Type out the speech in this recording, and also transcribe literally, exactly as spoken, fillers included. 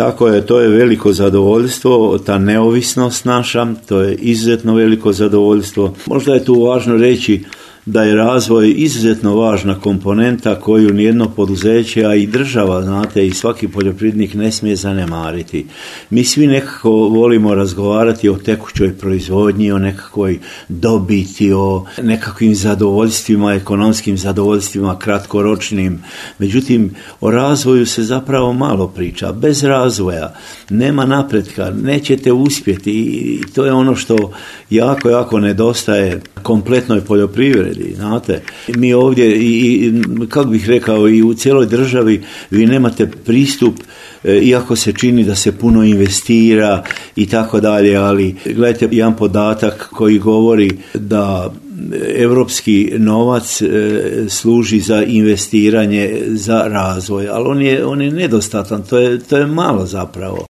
Tako je, to je veliko zadovoljstvo, ta neovisnost naša, to je izuzetno veliko zadovoljstvo. Možda je tu važno reći da je razvoj izuzetno važna komponenta koju nijedno poduzeće, a i država, znate, i svaki poljoprivrednik ne smije zanemariti. Mi svi nekako volimo razgovarati o tekućoj proizvodnji, o nekakvoj dobiti, o nekakvim zadovoljstvima, ekonomskim zadovoljstvima, kratkoročnim. Međutim, o razvoju se zapravo malo priča. Bez razvoja nema napretka, nećete uspjeti i to je ono što jako, jako nedostaje kompletnoj poljoprivredi. Znate, mi ovdje, i, kako bih rekao, i u cijeloj državi vi nemate pristup, iako se čini da se puno investira i tako dalje, ali gledajte jedan podatak koji govori da europski novac služi za investiranje, za razvoj, ali on je, on je nedostatan, to je, to je malo zapravo.